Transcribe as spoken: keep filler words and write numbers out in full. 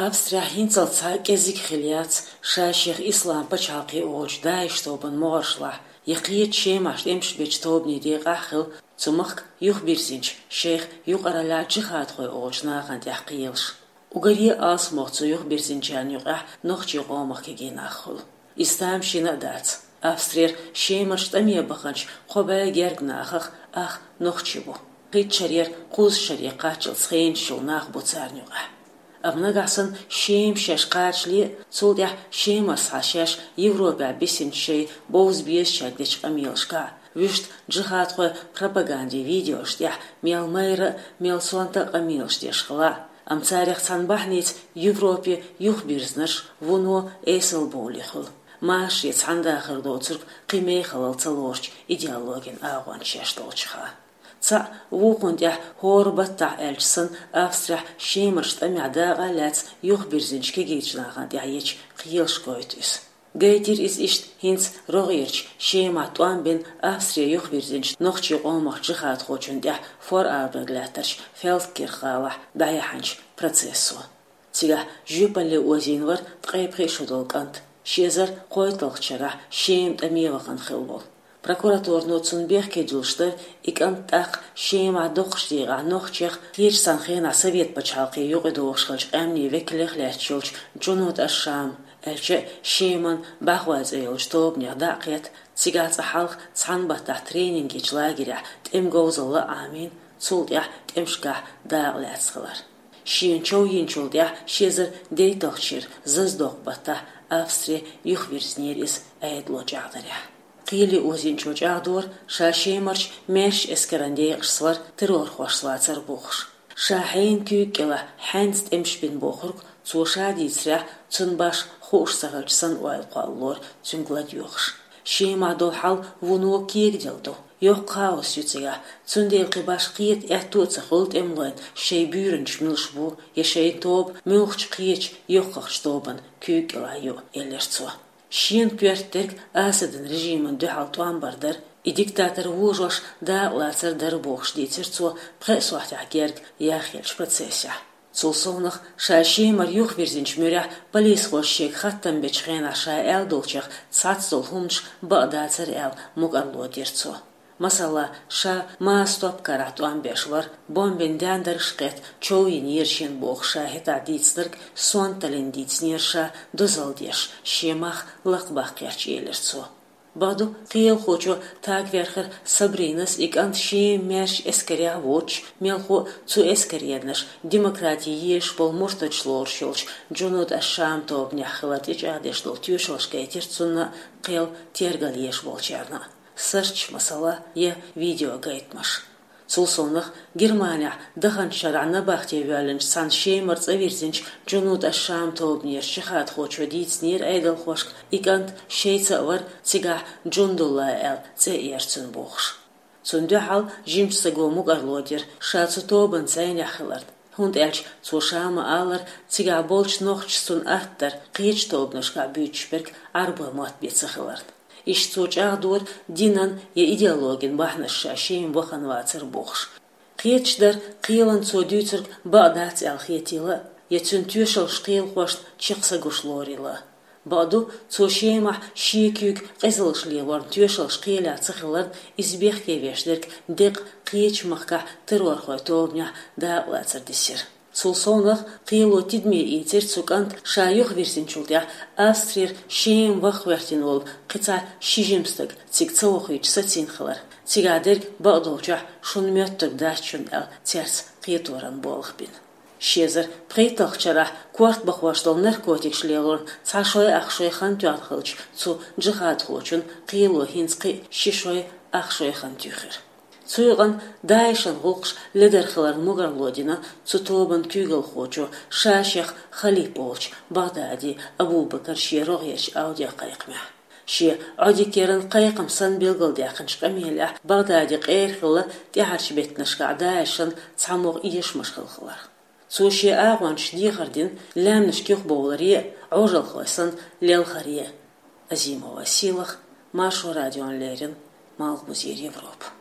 Австрехь хӀинццалц цхьа кӀезига хила яц ша шех Ислам пачхьалкхе олучу ДАИШ тобан могӀаршлахь я кхечу Шемахь тӀемаш бечу тобанийн декъахь а хила цу махка юхабирзинчу, шайх юкъараллехь джихадхой олучу нахана тӀехь кхелаш. Уггаре а алсамох цу юхабирзинчарна юкъахь нохчийн къомах кегий нах хуьлу. Иза тамашийна а дац. Австрера Шемарчу тӀаме баханчу кхо бӀе гергга нахах ах нохчий бу. Кхечу шарера кхузткъа шаре кхаччалц хенаш йолу нах бу царна юкъахь. Амма нагахь санна Шема шаьш кхачале а, цул тӀаьхьа Шемара схьа шаьш Европехь бисинчу шайн бовза безачаьрга дечу къамелашкахь а, вуьшта джихадхойн пропагандин видеош тӀехь мел майра а, мел сонта а къамелаш деш хила а, амма царах цхьана бахьаница Европе юхабирзинарш вуно эсалбовлий хуьлу. Машаре цхьаьна дахар доцург кхин мехалла ца лоручу идеологин агӀончаш долчуха. Цхьаъ вукхунна тӀехь хӀора баттахь аьлча санна, Австрехь Шемарчу тӀамехь дакъа а лаьцна юхабирзинчу кегийчу нахана тӀехь ечу кхелаш гойту иза. Гайтира иза иштта хӀинца рогӀерчу Шемахь тӀом бина Австре юхабирзинчу нохчийн къомах джихадхочун тӀехь Форарберг лаьттарчу Фелдкирх гӀалахь дӀаяьхьначу процессо. Цигахь жоьпалле озийна вара ткъе пхи шо долу кӀант, ши эзар кхойтталгӀачу шарахь Шема тӀаме вахана хилла волу. Прокуратуро цунна бехке дуьллуш дара, и кӀант тӀаккха Шемахь доккхачу декъехь нохчех, кхечу цхьана хенахь Совет пачхьалкхе юкъадогӀуш хиллачу къаьмнийн векалех лаьтташ йолчу Джунуд аш-Шам, аьлча а Шеман бӀаьхой цӀе йолчу тобанех дӀа а кхетта, цигахь цкъа хьалха цхьана баттахь тренинг ечу лагерехь тӀеман говзалла а Ӏамийна, цул тӀаьхьа тӀемашкахь дакъа лаьцна хилар. Шена чов йинчул тӀаьхьа ши эзар дейтталгӀачу шеран зазадоккху баттахь Австре юхавирзинера иза Ӏедало чӀагӀдарехь. Кхеле озийначо чӀагӀдора, ша Шемарчу маьршачу эскаран декъашца вара террорхошца вацар бохуш. Ша хьенан куьйга кӀелахь хьаьнца тӀемаш бина бохург, цо ша дийцарехь, цунна башха хууш ца хилча санна ойла кхоллалора цуьнга ладоьгӀуш. Шемахь долу хьал вуно кегаделла ду. Йоккха хаос ю цигахь, цундела кхин башха кхета аьтто а ца хуьлу тӀемалойн шайн буьйранчаш муьлш бу, я шайн тоба муьлххачу кхечу йоккхахчу тобанна куьйга кӀелахь ю, элира цо. Шена коьрта дерг Асадан режимана дуьхьал тӀом бар дара, и диктатор вожош дакъалацар дара бохуш дийцира цо пхеа сохьтехь герга яхъеллачу процессехь. Цул совнаха, ша Шемара юхавирзинчу муьрехь полисхоша шега хаттам бечу хенахь ша аьлла долчех цхьацца долу хӀуманаш бакъ дацара аьлла мукӀарло дира цо. Масала, ша Маас топ карахь тӀом беш вара, бомбин даьндарш а кхетта, чов йинера шена бохуш ша хӀетахь дийцинарг сонталлин дийцинера ша дозалла деш, шен мах лакхабаккхарх, элира цо. Бакъду, кхелахочо тагверхар Сабринас и кӀант Шеман маьршачу эскарехь а воцуш, мелхо а цу эскаренаш демократи езаш болу муртадаш лоруш йолчу Джунуд аш-Шам тобанехь хилар тӀечӀагӀдеш долу тоьшаллаш гайтира цунна а, кхел тергал еш болчарна а. Сарч, масала, я видеогайтамаш. Цул совнаха, Германехь даханчу шарахь набахте воьллинчу цхьана Шемара цӀа вирзинчу Джунуд аш-Шам тобанера джихадхочо дийцинера Ӏедалхошка, и кӀант шайца а вара, цигахь Джундулла аьлла цӀе а яра цуьнан бохуш. Цунна дуьхьал жимачу стага мукӀарло дира ша цу тобанан цӀийнехь хиларна, хӀунда аьлча цо ша ма-аллара, цигахь болчу нохчаша цунна атта дара кхечу тобанашкахь буьйцуш берг Ӏарбойн мотт бен ца хиларна. Иштта цо чӀагӀдора, динан я идеологин бахьанаш ша Шема вахана вацар бохуш. Кхеташ дара, кхелан цо дуьйцург бакъ дац аьлла хетийла а, я цуьнан тоьшаллаш кхелахошна чекх са гуш лорийла а. Бакъду, цо Шемахь шен куьйга къизаллаш лелорна тоьшаллаш кхелехь ца хиларна, иза бехке веш дерг деккъа кхечу махкахь террорхойн тобанехь дакъалацар дисира. Цул совнаха, кхело тидаме ийцира цу кӀанта ша юхавирзинчул тӀаьхьа Австрера Шема ваха гӀоьртина волу кхин цхьа ши жима стаг цига ца вохуьйтуш сацийна хилар. Цигахь дерг бакъдолчохь шуна моьттург дац шуна аьлла, цаьрца кхеторан болх бина. Ши эзар пхийтталгӀачу шарахь корта бахош долу наркотикаш лелорна цхьа шой ах шой хан тоьхна хиллачу цу джихадхочун кхело хӀинца кхин а ши шой ах шой хан туьйхира. Цу юкъанна ДАИШан гӀуллакхаш ледара хиларна мукӀарло дина цу тобанан куьйгалхочо, ша шех халиф волчу Багъдади Абу-Бакара шен рогӀерчу аудиокхайкхамехь. Шен Ӏодика яран кхайкхам санна билгалдаьккхинчу къамелехь Багъдади къера хилла тӀаьхьарчу беттанашкахь ДАИШан цхьамогӀа эшамаш хилла хилар. Цо шен агӀончашна дехар дина лаьмнашка юхабовларе а, Ӏожалхой санна лелхаре а. Азимова Сийлаха, Маршо радиона леррина, Малхбузера Европа.